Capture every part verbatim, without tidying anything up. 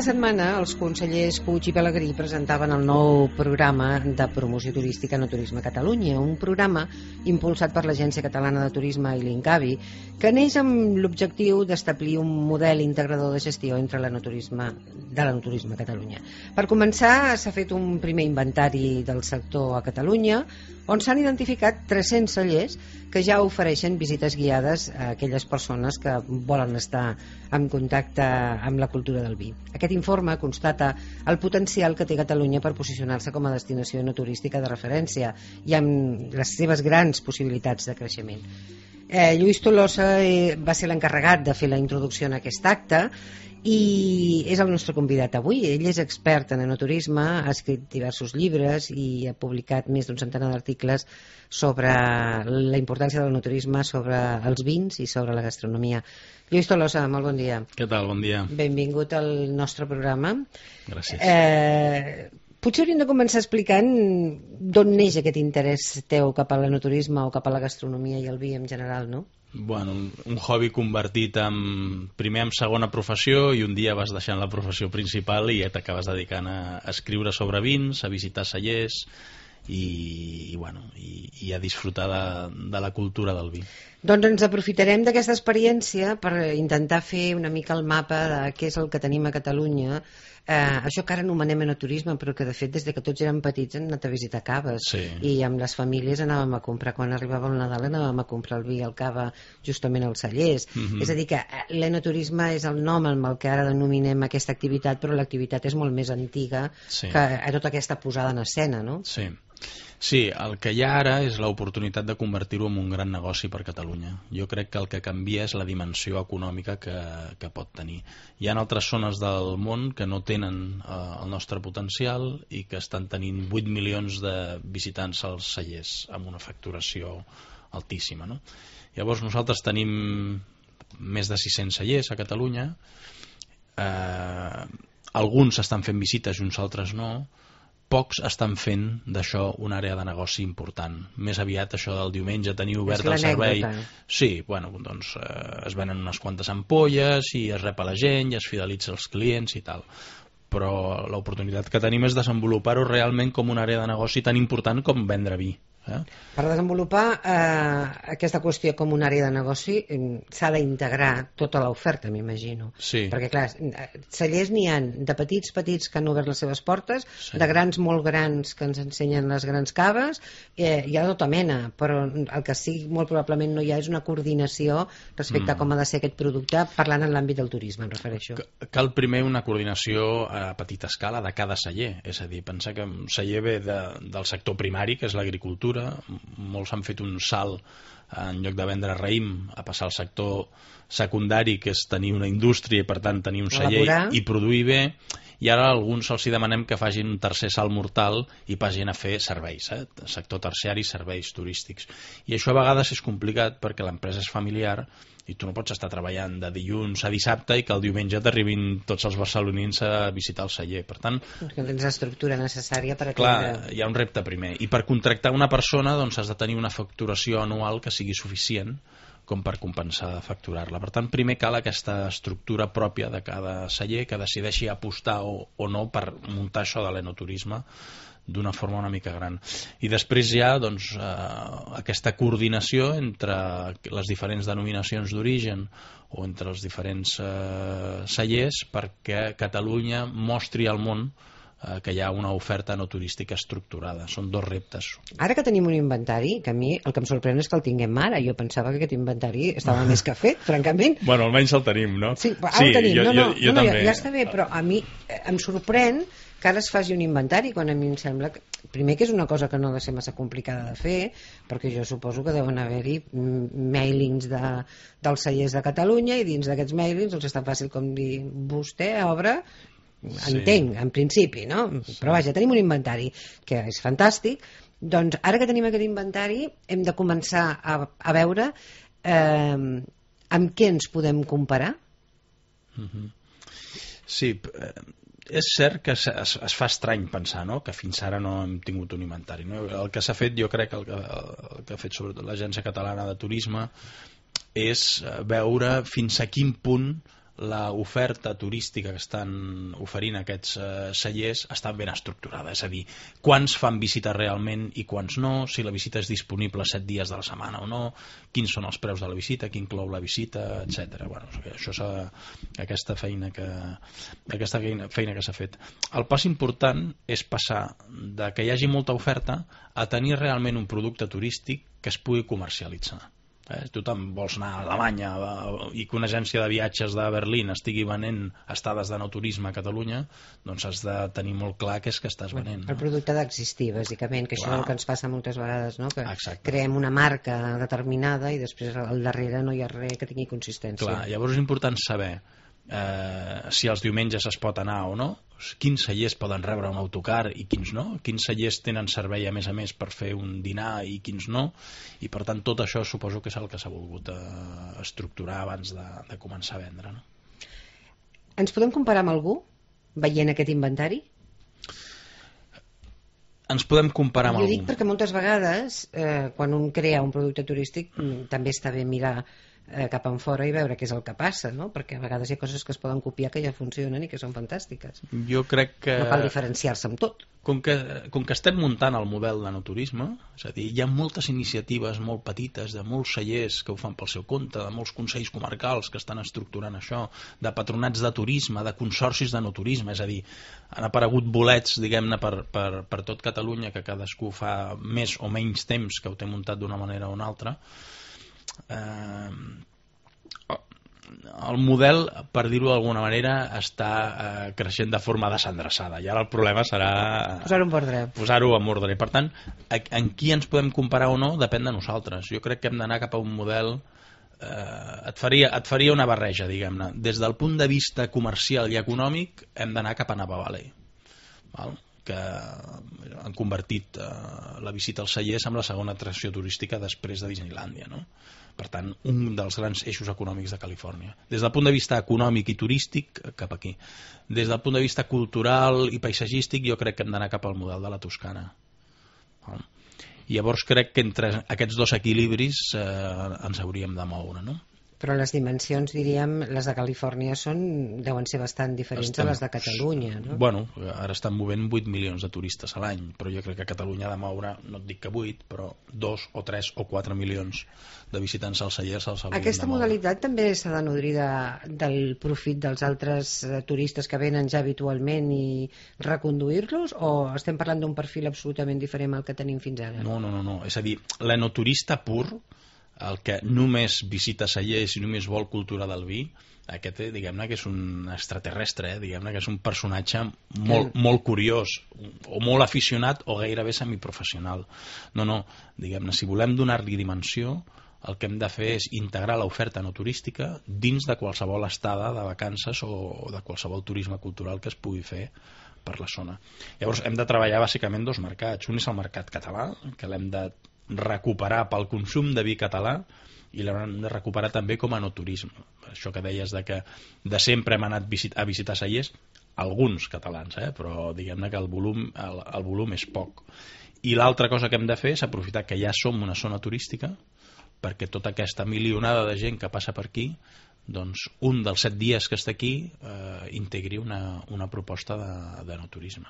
setmana els consellers Puig i Pelegrí presentaven el nou programa de promoció turística No Turisme Catalunya, un programa impulsat per l'Agència Catalana de Turisme i l'Incavi, que neix amb l'objectiu d'establir un model integrador de gestió entre l'enoturisme de l'enoturisme a Catalunya. Per començar, s'ha fet un primer inventari del sector a Catalunya, on s'han identificat tres-cents cellers que ja ofereixen visites guiades a aquelles persones que volen estar en contacte amb la cultura del vi. Aquest informe constata el potencial que té Catalunya per posicionar-se com a destinació no turística de referència i amb les seves grans possibilitats de creixement. Eh, Lluís Tolosa eh, va ser l'encarregat de fer la introducció en aquest acte i és el nostre convidat avui. Ell és expert en enoturisme, ha escrit diversos llibres i ha publicat més d'un centenar d'articles sobre la importància de l'enoturisme, sobre els vins i sobre la gastronomia. Lluís Tolosa, molt bon dia. Què tal? Bon dia. Benvingut al nostre programa. Gràcies. Eh, potser hauríem de començar explicant d'on neix aquest interès teu cap a l'enoturisme o cap a la gastronomia i el vi en general, no? Bueno, un, un hobby convertit en, primer en segona professió, i un dia vas deixant la professió principal i ja t'acabes dedicant a, a escriure sobre vins, a visitar cellers i, i, bueno, i, i a disfrutar de, de la cultura del vi. Doncs ens aprofitarem d'aquesta experiència per intentar fer una mica el mapa de què és el que tenim a Catalunya, eh, això que ara anomenem enoturisme, però que de fet des de que tots érem petits hem anat a visitar caves, sí. I amb les famílies anàvem a comprar, quan arribava el Nadal anàvem a comprar el vi al cava justament als cellers. Mm-hmm. És a dir que l'enoturisme és el nom amb el que ara denominem aquesta activitat, però l'activitat és molt més antiga, sí. Que a tota aquesta posada en escena, no? Sí. Sí, el que hi ha ara és l'oportunitat de convertir-ho en un gran negoci per Catalunya. Jo crec que el que canvia és la dimensió econòmica que, que pot tenir. Hi ha altres zones del món que no tenen eh, el nostre potencial i que estan tenint vuit milions de visitants als cellers amb una facturació altíssima, no? Llavors nosaltres tenim més de sis-cents cellers a Catalunya, eh, alguns estan fent visites i uns altres no. Pocs estan fent d'això una àrea de negoci important. Més aviat això del diumenge tenir obert el servei. Sí, bueno, doncs eh, es venen unes quantes ampolles i es rep a la gent i es fidelitza els clients i tal. Però l'oportunitat que tenim és desenvolupar-ho realment com una àrea de negoci tan important com vendre vi. Eh? Per desenvolupar eh, aquesta qüestió com una àrea de negoci eh, s'ha d'integrar tota l'oferta, m'imagino. Sí. Perquè clar, cellers n'hi ha de petits petits que han obert les seves portes, sí. De grans molt grans que ens ensenyen les grans caves, eh, hi ha de tota mena, però el que sí molt probablement no hi ha és una coordinació respecte mm. a com ha de ser aquest producte, parlant en l'àmbit del turisme, em refereixo. Cal primer una coordinació a petita escala de cada celler, és a dir, pensar que un celler ve de, del sector primari, que és l'agricultura. Molts han fet un salt en lloc de vendre raïm a passar al sector secundari, que és tenir una indústria i per tant tenir un celler elaborar. I produir bé, i ara a alguns els hi demanem que facin un tercer salt mortal i passin a fer serveis, eh? Sector terciari, serveis turístics, i això a vegades és complicat perquè l'empresa és familiar i tu no pots estar treballant de dilluns a dissabte i que el diumenge t'arribin tots els barcelonins a visitar el celler. Per tant, que tens l'estructura necessària per atendre. Clar, hi ha un repte primer. I per contractar una persona doncs has de tenir una facturació anual que sigui suficient com per compensar facturar-la. Per tant, primer cal aquesta estructura pròpia de cada celler que decideixi apostar o, o no per muntar això de l'enoturisme d'una forma una mica gran. I després hi ha doncs, eh, aquesta coordinació entre les diferents denominacions d'origen o entre els diferents eh, cellers perquè Catalunya mostri al món eh, que hi ha una oferta no turística estructurada. Són dos reptes. Ara que tenim un inventari, que a mi el que em sorprèn és que el tinguem ara. Jo pensava que aquest inventari estava més que fet, francament. Bueno, almenys el tenim, no? Sí, ara sí, el tenim. Jo, no, no, jo, jo no, no, ja, ja està bé, però a mi em sorprèn que ara es faci un inventari, quan a mi em sembla que, primer, que és una cosa que no ha de ser massa complicada de fer, perquè jo suposo que deuen haver-hi mailings de, dels cellers de Catalunya, i dins d'aquests mailings doncs és tan fàcil com dir vostè obre, entenc, sí. En principi, no? Sí. Però vaja, tenim un inventari que és fantàstic. Doncs ara que tenim aquest inventari hem de començar a, a veure eh, amb què ens podem comparar. Mm-hmm. Sí, eh, és cert que es, es, es fa estrany pensar, no?, que fins ara no hem tingut un inventari, no? El que s'ha fet, jo crec que el que, el que ha fet sobretot l'Agència Catalana de Turisme és veure fins a quin punt l'oferta turística que estan oferint aquests eh, cellers està ben estructurada, és a dir, quants fan visita realment i quants no, si la visita és disponible set dies de la setmana o no, quins són els preus de la visita, qui inclou la visita, etcètera. Bueno, això s'ha, aquesta feina que aquesta feina que s'ha fet. El pas important és passar de que hi hagi molta oferta a tenir realment un producte turístic que es pugui comercialitzar. Eh, tu te'n vols anar a Alemanya i que una agència de viatges de Berlín estigui venent estades de no turisme a Catalunya, doncs has de tenir molt clar què és que estàs venent. El producte d'existir, bàsicament, que això és el que ens passa moltes vegades, no? Que Exacte. Creem una marca determinada i després al darrere no hi ha res que tingui consistència. Clar, llavors és important saber eh, si els diumenges es pot anar o no, quins cellers poden rebre un autocar i quins no, quins cellers tenen servei a més a més per fer un dinar i quins no, i per tant tot això suposo que és el que s'ha volgut eh, estructurar abans de, de començar a vendre, no? Ens podem comparar amb algú veient aquest inventari? Ens podem comparar amb algú? Jo algú. dic perquè moltes vegades eh, quan un crea un producte turístic també està bé mirar cap en fora i veure què és el que passa, no? Perquè a vegades hi ha coses que es poden copiar que ja funcionen i que són fantàstiques. Jo crec que... No cal diferenciar-se amb tot. Com que, com que estem muntant el model de no turisme, és a dir, hi ha moltes iniciatives molt petites de molts cellers que ho fan pel seu compte, de molts consells comarcals que estan estructurant això, de patronats de turisme, de consorcis de no turisme, és a dir, han aparegut bolets, diguem-ne, per, per, per tot Catalunya, que cadascú fa més o menys temps que ho té muntat d'una manera o una altra. Eh, el model, per dir-ho d'alguna manera, està eh, creixent de forma desendreçada i ara el problema serà posar-ho en ordre. Posar-ho en ordre. I per tant, en qui ens podem comparar o no depèn de nosaltres. Jo crec que hem d'anar cap a un model eh, et, faria, et faria una barreja, diguem-ne. Des del punt de vista comercial i econòmic hem d'anar cap a Napa Valley, val? Que han convertit eh, la visita als cellers en la segona atracció turística després de Disneylàndia, no? Per tant, un dels grans eixos econòmics de Califòrnia. Des del punt de vista econòmic i turístic, cap aquí. Des del punt de vista cultural i paisatgístic, jo crec que hem d'anar cap al model de la Toscana. I llavors crec que entre aquests dos equilibris eh, ens hauríem de moure, no? Però les dimensions, diríem, les de Califòrnia són, deuen ser bastant diferents Estem, a les de Catalunya, no? Bueno, ara estan movent vuit milions de turistes a l'any, però jo crec que Catalunya ha de moure, no et dic que vuit, però dos o tres o quatre milions de visitants als cellers els haurien de moure. Aquesta modalitat també s'ha de nodrir de, del profit dels altres eh, turistes que venen ja habitualment i reconduir-los, o estem parlant d'un perfil absolutament diferent al que tenim fins ara? No, no, no, no. És a dir, l'enoturista pur, el que només visita cellers i només vol cultura del vi, aquest, eh, diguem-ne que és un extraterrestre, eh, diguem-ne que és un personatge molt, molt curiós, o molt aficionat o gairebé semiprofessional. No, no, diguem-ne, si volem donar-li dimensió, el que hem de fer és integrar l'oferta no turística dins de qualsevol estada de vacances o de qualsevol turisme cultural que es pugui fer per la zona. Llavors hem de treballar bàsicament dos mercats. Un és el mercat català, que l'hem de recuperar pel consum de vi català i l'hem de recuperar també com a no turisme. Això que deies de que de sempre hem anat a visitar cellers, alguns catalans, eh? Però diguem-ne que el volum, el, el volum és poc. I l'altra cosa que hem de fer és aprofitar que ja som una zona turística perquè tota aquesta milionada de gent que passa per aquí, doncs un dels set dies que està aquí eh, integri una, una proposta de, de no turisme.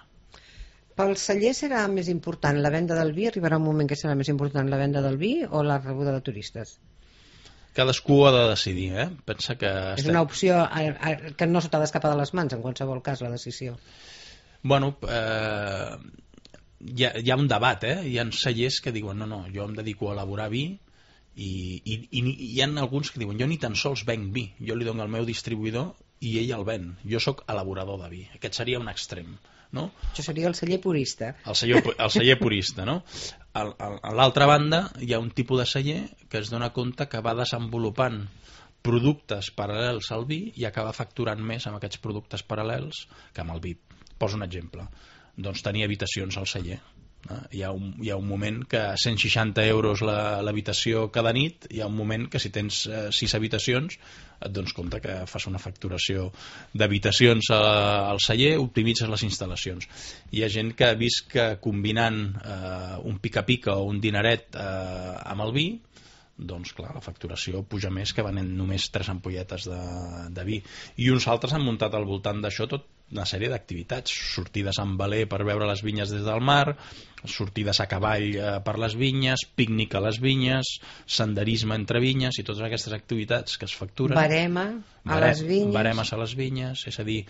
Pel celler serà més important la venda del vi? Arribarà un moment que serà més important la venda del vi o la rebuda de turistes? Cadascú ha de decidir, eh? Pensa que... És estem... una opció a, a, que no se t'ha d'escapar de les mans, en qualsevol cas, la decisió. Bueno, eh, hi, ha, hi ha un debat, eh? Hi ha cellers que diuen, no, no, jo em dedico a elaborar vi i, i, i hi ha alguns que diuen, jo ni tan sols venc vi, jo li dono al meu distribuïdor i ell el ven, jo sóc elaborador de vi. Aquest seria un extrem, no? Això seria el celler purista. El celler, el celler purista, no? Al, al, a l'altra banda hi ha un tipus de celler que es dona compte que va desenvolupant productes paral·lels al vi i acaba facturant més amb aquests productes paral·lels que amb el vi. Poso un exemple. Doncs tenir habitacions al celler. Hi ha, un, hi ha un moment que a cent seixanta euros l'habitació cada nit, hi ha un moment que si tens eh, sis habitacions et dones compte que fas una facturació d'habitacions al celler, optimitzes les instal·lacions. Hi ha gent que ha vist que combinant eh, un pica-pica o un dinaret eh, amb el vi, doncs clar, la facturació puja més que venent només tres ampolletes de, de vi. I uns altres han muntat al voltant d'això tot una sèrie d'activitats, sortides amb veler per veure les vinyes des del mar, sortides a cavall eh, per les vinyes, pícnic a les vinyes, senderisme entre vinyes i totes aquestes activitats que es facturen. Barema a Bare, les vinyes. Baremes a les vinyes, és a dir,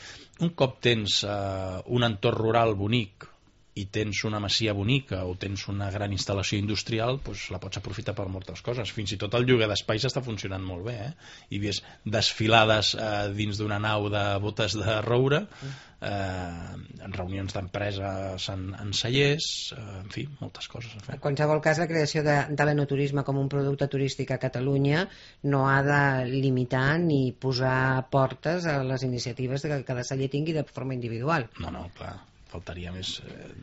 un cop tens eh, un entorn rural bonic i tens una masia bonica o tens una gran instal·lació industrial, doncs la pots aprofitar per moltes coses. Fins i tot el lloguer d'espais està funcionant molt bé, eh? Hi havies desfilades eh, dins d'una nau de botes de roure, eh, en reunions d'empreses en, en cellers, eh, en fi, moltes coses a fer. En qualsevol cas, la creació de, de l'enoturisme com un producte turístic a Catalunya no ha de limitar ni posar portes a les iniciatives que cada celler tingui de forma individual. No, no, clar, faltaria més.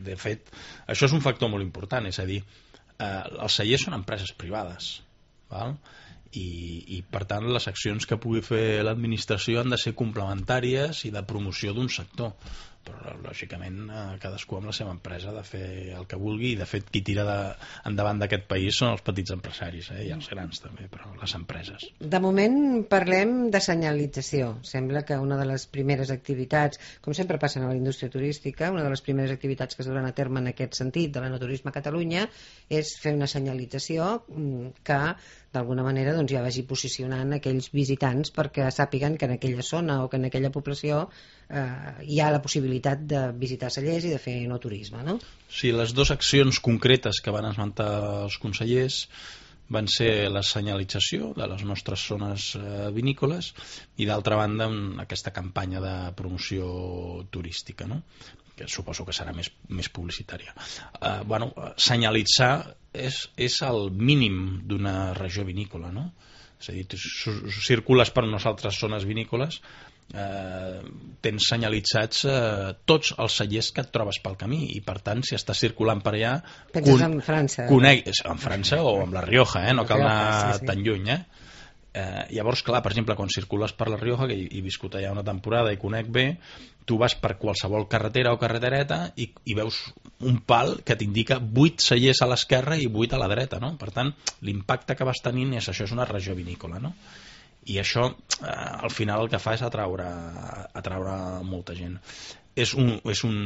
De fet, això és un factor molt important, és a dir, eh, els cellers són empreses privades, val? I, i per tant les accions que pugui fer l'administració han de ser complementàries i de promoció d'un sector, però lògicament cadascú amb la seva empresa ha de fer el que vulgui, i de fet qui tira de, endavant d'aquest país són els petits empresaris, eh? I els grans també, però les empreses. De moment parlem de senyalització. Sembla que una de les primeres activitats, com sempre passa a la indústria turística, una de les primeres activitats que es duran a terme en aquest sentit de l'enoturisme a Catalunya és fer una senyalització que d'alguna manera doncs, ja vagi posicionant aquells visitants perquè sàpiguen que en aquella zona o que en aquella població eh, hi ha la possibilitat de visitar cellers i de fer enoturisme, no? Sí, les dues accions concretes que van esmentar els consellers van ser la senyalització de les nostres zones eh, vinícoles i d'altra banda aquesta campanya de promoció turística, no? Que suposo que serà més, més publicitària. Eh, bueno, senyalitzar és, és el mínim d'una regió vinícola, no? És a dir, tu circules per unes altres zones vinícoles, eh, tens senyalitzats eh, tots els cellers que et trobes pel camí i per tant si estàs circulant per allà penses en França conec, en França o amb la Rioja, eh? No cal anar sí, sí. tan lluny, eh? Eh, llavors, clar, per exemple, quan circules per la Rioja, que he, he viscut allà una temporada i conec bé, tu vas per qualsevol carretera o carretereta i, i veus un pal que t'indica vuit cellers a l'esquerra i vuit a la dreta, no? Per tant, l'impacte que vas tenint és això, és una regió vinícola, no? I això, eh, al final, el que fa és atraure, atraure molta gent. És un, és un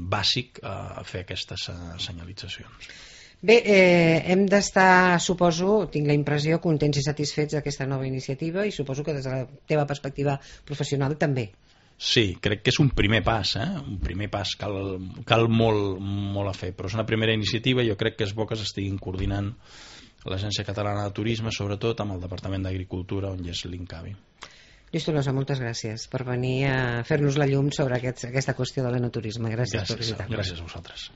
bàsic eh, fer aquestes senyalitzacions. Bé, eh, hem d'estar, suposo, tinc la impressió, contents i satisfets d'aquesta nova iniciativa i suposo que des de la teva perspectiva professional també. Sí, crec que és un primer pas, eh? Un primer pas, cal, cal molt, molt a fer, però és una primera iniciativa i jo crec que és bo que s'estiguin coordinant l'Agència Catalana de Turisme, sobretot amb el Departament d'Agricultura, on hi és l'INCAVI. Lluís Tolosa, moltes gràcies per venir a fer-nos la llum sobre aquest, aquesta qüestió de l'enoturisme. Gràcies, gràcies per visitar-nos. Gràcies a vosaltres.